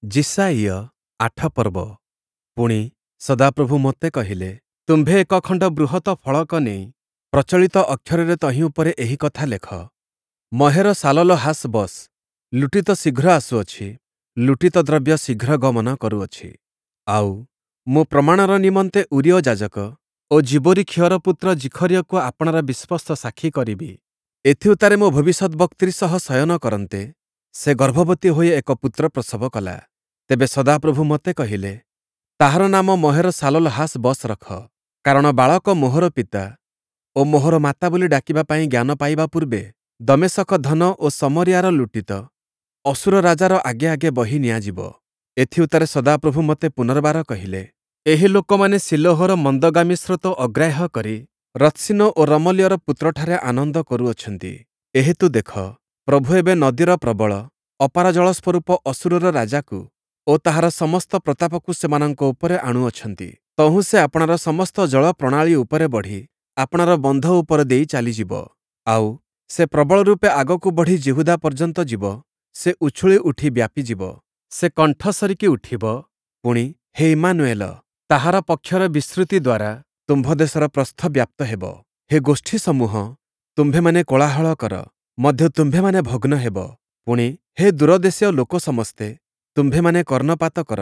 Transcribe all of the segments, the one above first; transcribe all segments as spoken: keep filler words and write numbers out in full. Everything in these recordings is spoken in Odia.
ଯିଶାଇୟ ଆଠ ପର୍ବ ପୁଣି, ସଦାପ୍ରଭୁ ମୋତେ କହିଲେ, ତୁମ୍ଭେ ଏକ ଖଣ୍ଡ ବୃହତ ଫଳକ ନେଇ ପ୍ରଚଳିତ ଅକ୍ଷରରେ ତହିଁ ଉପରେ ଏହି କଥା ଲେଖ, ମହେର-ଶାଲଲ-ହାସ୍-ବସ୍। ଲୁଟିତ ଶୀଘ୍ର ଆସୁଅଛି, ଲୁଟିତ ଦ୍ରବ୍ୟ ଶୀଘ୍ର ଗମନ କରୁଅଛି। ଆଉ, ମୁଁ ପ୍ରମାଣର ନିମନ୍ତେ ଊରୀୟ ଯାଜକ ଓ ଯିବୋରିଖିୟର ପୁତ୍ର ଜିଖରିୟକୁ ଆପଣାର ବିଶ୍ୱସ୍ତ ସାକ୍ଷୀ କରିବି। ଏଥିଉତ୍ତାରେ ମୁଁ ଭବିଷ୍ୟଦ୍‌ବକ୍ତ୍ରୀ ସହ ଶୟନ କରନ୍ତେ, ସେ ଗର୍ଭବତୀ ହୋଇ ଏକ ପୁତ୍ର ପ୍ରସବ କଲା। ତେବେ ସଦାପ୍ରଭୁ ମୋତେ କହିଲେ, ତାହାର ନାମ ମହେର-ଶାଲଲ-ହାସ୍-ବସ୍ ରଖ, କାରଣ ବାଳକ ମୋହର ପିତା ଓ ମୋହର ମାତା ବୋଲି ଡାକିବା ପାଇଁ ଜ୍ଞାନ ପାଇବା ପୂର୍ବେ ଦମେଶକ ଧନ ଓ ଶମରିୟାର ଲୁଟିତ ଅଶୂର ରାଜାର ଆଗେ ଆଗେ ବହି ନିଆଯିବ। ଏଥିଉତ୍ତାରେ ସଦାପ୍ରଭୁ ମୋତେ ପୁନର୍ବାର କହିଲେ, ଏହି ଲୋକମାନେ ଶୀଲୋହର ମନ୍ଦଗାମୀ ସ୍ରୋତ ଅଗ୍ରାହ୍ୟ କରି ରତ୍ସୀନ ଓ ରମଲୀୟର ପୁତ୍ରଠାରେ ଆନନ୍ଦ କରୁଅଛନ୍ତି। ଏହେତୁ ଦେଖ, ପ୍ରଭୁ ଏବେ ନଦୀର ପ୍ରବଳ, ଅପାର ଜଳ ସ୍ୱରୂପ ଅଶୂରର ରାଜାକୁ ଓ ତାହାର ସମସ୍ତ ପ୍ରତାପକୁ ସେମାନଙ୍କ ଉପରେ ଆଣୁଅଛନ୍ତି। ତହୁଁ ସେ ଆପଣାର ସମସ୍ତ ଜଳ ପ୍ରଣାଳୀ ଉପରେ ବଢ଼ି ଆପଣାର ବନ୍ଧ ଉପର ଦେଇ ଚାଲିଯିବ। ଆଉ, ସେ ପ୍ରବଳ ରୂପେ ଆଗକୁ ବଢ଼ି ଯିହୁଦା ପର୍ଯ୍ୟନ୍ତ ଯିବ, ସେ ଉଛୁଳି ଉଠି ବ୍ୟାପିଯିବ। ସେ କଣ୍ଠ ସରିକି ଉଠିବ, ପୁଣି, ହେ ଇମ୍ମାନୁୟେଲ, ତାହାର ପକ୍ଷର ବିସ୍ତୃତି ଦ୍ୱାରା ତୁମ୍ଭ ଦେଶର ପ୍ରସ୍ଥ ବ୍ୟାପ୍ତ ହେବ। ହେ ଗୋଷ୍ଠୀସମୂହ, ତୁମ୍ଭେମାନେ କୋଳାହଳ କର, ମଧ୍ୟ ତୁମ୍ଭେମାନେ ଭଗ୍ନ ହେବ। ପୁଣି, ହେ ଦୂରଦେଶୀୟ ଲୋକ ସମସ୍ତେ, ତୁମ୍ଭେମାନେ କର୍ଣ୍ଣପାତ କର,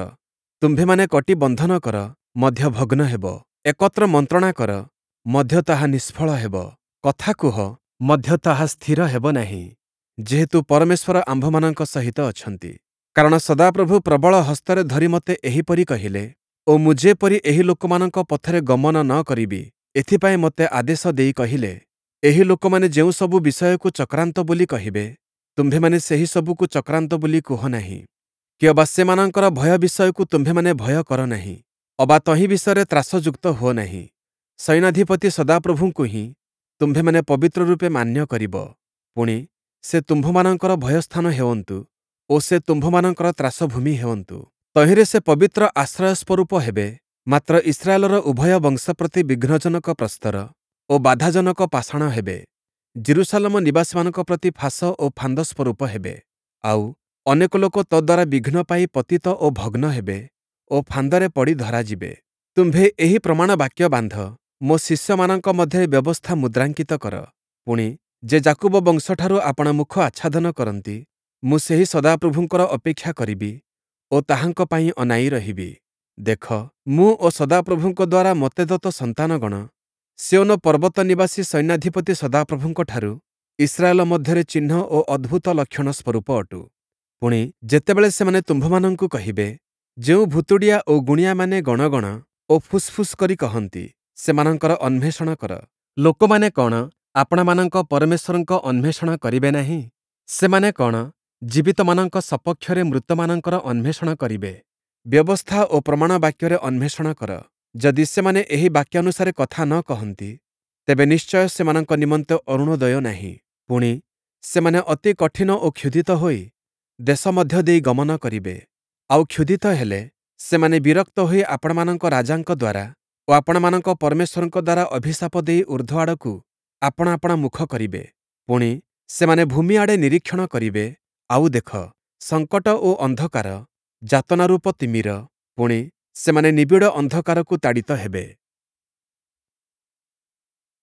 ତୁମ୍ଭେମାନେ କଟି ବନ୍ଧନ କର, ମଧ୍ୟ ଭଗ୍ନ ହେବ। ଏକତ୍ର ମନ୍ତ୍ରଣା କର, ମଧ୍ୟ ତାହା ନିଷ୍ଫଳ ହେବ। କଥା କୁହ, ମଧ୍ୟ ତାହା ସ୍ଥିର ହେବ ନାହିଁ, ଯେହେତୁ ପରମେଶ୍ୱର ଆମ୍ଭମାନଙ୍କ ସହିତ ଅଛନ୍ତି। କାରଣ ସଦାପ୍ରଭୁ ପ୍ରବଳ ହସ୍ତରେ ଧରି ମୋତେ ଏହିପରି କହିଲେ ଓ ମୁଁ ଯେପରି ଏହି ଲୋକମାନଙ୍କ ପଥରେ ଗମନ ନ କରିବି, ଏଥିପାଇଁ ମୋତେ ଆଦେଶ ଦେଇ କହିଲେ, ଏହି ଲୋକମାନେ ଯେଉଁ ସବୁ ବିଷୟକୁ ଚକ୍ରାନ୍ତ ବୋଲି କହିବେ, ତୁମ୍ଭେମାନେ ସେହି ସବୁକୁ ଚକ୍ରାନ୍ତ ବୋଲି କୁହ ନାହିଁ। କିଅବା ସେମାନଙ୍କର ଭୟ ବିଷୟକୁ ତୁମ୍ଭେମାନେ ଭୟ କର ନାହିଁ, ଅବା ତହିଁ ବିଷୟରେ ତ୍ରାସଯୁକ୍ତ ହୁଅ ନାହିଁ। ସୈନ୍ୟାଧିପତି ସଦାପ୍ରଭୁଙ୍କୁ ହିଁ ତୁମ୍ଭେମାନେ ପବିତ୍ର ରୂପେ ମାନ୍ୟ କରିବ। ପୁଣି, ସେ ତୁମ୍ଭମାନଙ୍କର ଭୟସ୍ଥାନ ହେଉନ୍ତୁ ଓ ସେ ତୁମ୍ଭମାନଙ୍କର ତ୍ରାସଭୂମି ହେଉନ୍ତୁ। ତହିଁରେ ସେ ପବିତ୍ର ଆଶ୍ରୟ ସ୍ୱରୂପ ହେବେ, ମାତ୍ର ଇସ୍ରାଏଲର ଉଭୟ ବଂଶ ପ୍ରତି ବିଘ୍ନଜନକ ପ୍ରସ୍ତର ଓ ବାଧାଜନକ ପାଷାଣ ହେବେ। ଯିରୂଶାଲମ ନିବାସୀମାନଙ୍କ ପ୍ରତି ଫାଶ ଓ ଫାନ୍ଦ ସ୍ୱରୂପ ହେବେ। ଆଉ, ଅନେକ ଲୋକ ତଦ୍ଦ୍ୱାରା ବିଘ୍ନ ପାଇ ପତିତ ଓ ଭଗ୍ନ ହେବେ ଓ ଫାନ୍ଦରେ ପଡ଼ି ଧରାଯିବେ। ତୁମ୍ଭେ ଏହି ପ୍ରମାଣ ବାକ୍ୟ ବାନ୍ଧ, ମୋ ଶିଷ୍ୟମାନଙ୍କ ମଧ୍ୟରେ ବ୍ୟବସ୍ଥା ମୁଦ୍ରାଙ୍କିତ କର। ପୁଣି, ଯେ ଯାକୁବ ବଂଶଠାରୁ ଆପଣା ମୁଖ ଆଚ୍ଛାଦନ କରନ୍ତି, ମୁଁ ସେହି ସଦାପ୍ରଭୁଙ୍କର ଅପେକ୍ଷା କରିବି ଓ ତାହାଙ୍କ ପାଇଁ ଅନାଇ ରହିବି। ଦେଖ, ମୁଁ ଓ ସଦାପ୍ରଭୁଙ୍କ ଦ୍ୱାରା ମୋତେ ଦତ୍ତ ସନ୍ତାନଗଣ ସିୟୋନ ପର୍ବତ ନିବାସୀ ସୈନ୍ୟାଧିପତି ସଦାପ୍ରଭୁଙ୍କଠାରୁ ଇସ୍ରାଏଲ ମଧ୍ୟରେ ଚିହ୍ନ ଓ ଅଦ୍ଭୁତ ଲକ୍ଷଣ ସ୍ୱରୂପ ଅଟୁ। ପୁଣି, ଯେତେବେଳେ ସେମାନେ ତୁମ୍ଭମାନଙ୍କୁ କହିବେ, ଯେଉଁ ଭୁତୁଡ଼ିଆ ଓ ଗୁଣିଆମାନେ ଗଣ ଗଣ ଓ ଫୁସ୍‌ଫୁସ୍ କରି କହନ୍ତି, ସେମାନଙ୍କର ଅନ୍ୱେଷଣ କର। ଲୋକମାନେ କ'ଣ ଆପଣାମାନଙ୍କ ପରମେଶ୍ୱରଙ୍କ ଅନ୍ୱେଷଣ କରିବେ ନାହିଁ? ସେମାନେ କ'ଣ ଜୀବିତମାନଙ୍କ ସପକ୍ଷରେ ମୃତମାନଙ୍କର ଅନ୍ୱେଷଣ କରିବେ? ବ୍ୟବସ୍ଥା ଓ ପ୍ରମାଣ ବାକ୍ୟରେ ଅନ୍ୱେଷଣ କର। ଯଦି ସେମାନେ ଏହି ବାକ୍ୟାନୁସାରେ କଥା ନ କହନ୍ତି, ତେବେ ନିଶ୍ଚୟ ସେମାନଙ୍କ ନିମନ୍ତେ ଅରୁଣୋଦୟ ନାହିଁ। ପୁଣି, ସେମାନେ ଅତି କଠିନ ଓ କ୍ଷୁଧିତ ହୋଇ ଦେଶ ମଧ୍ୟ ଦେଇ ଗମନ କରିବେ। ଆଉ କ୍ଷୁଧିତ ହେଲେ ସେମାନେ ବିରକ୍ତ ହୋଇ ଆପଣମାନଙ୍କ ରାଜାଙ୍କ ଦ୍ୱାରା ଓ ଆପଣମାନଙ୍କ ପରମେଶ୍ୱରଙ୍କ ଦ୍ୱାରା ଅଭିଶାପ ଦେଇ ଊର୍ଦ୍ଧ୍ୱ ଆଡ଼କୁ ଆପଣା ଆପଣା ମୁଖ କରିବେ। ପୁଣି, ସେମାନେ ଭୂମି ଆଡ଼େ ନିରୀକ୍ଷଣ କରିବେ, ଆଉ ଦେଖ, ସଙ୍କଟ ଓ ଅନ୍ଧକାର, ଯାତନାରୂପ ତିମିର, ପୁଣି, ସେମାନେ ନିବିଡ଼ ଅନ୍ଧକାରକୁ ତାଡ଼ିତ ହେବେ।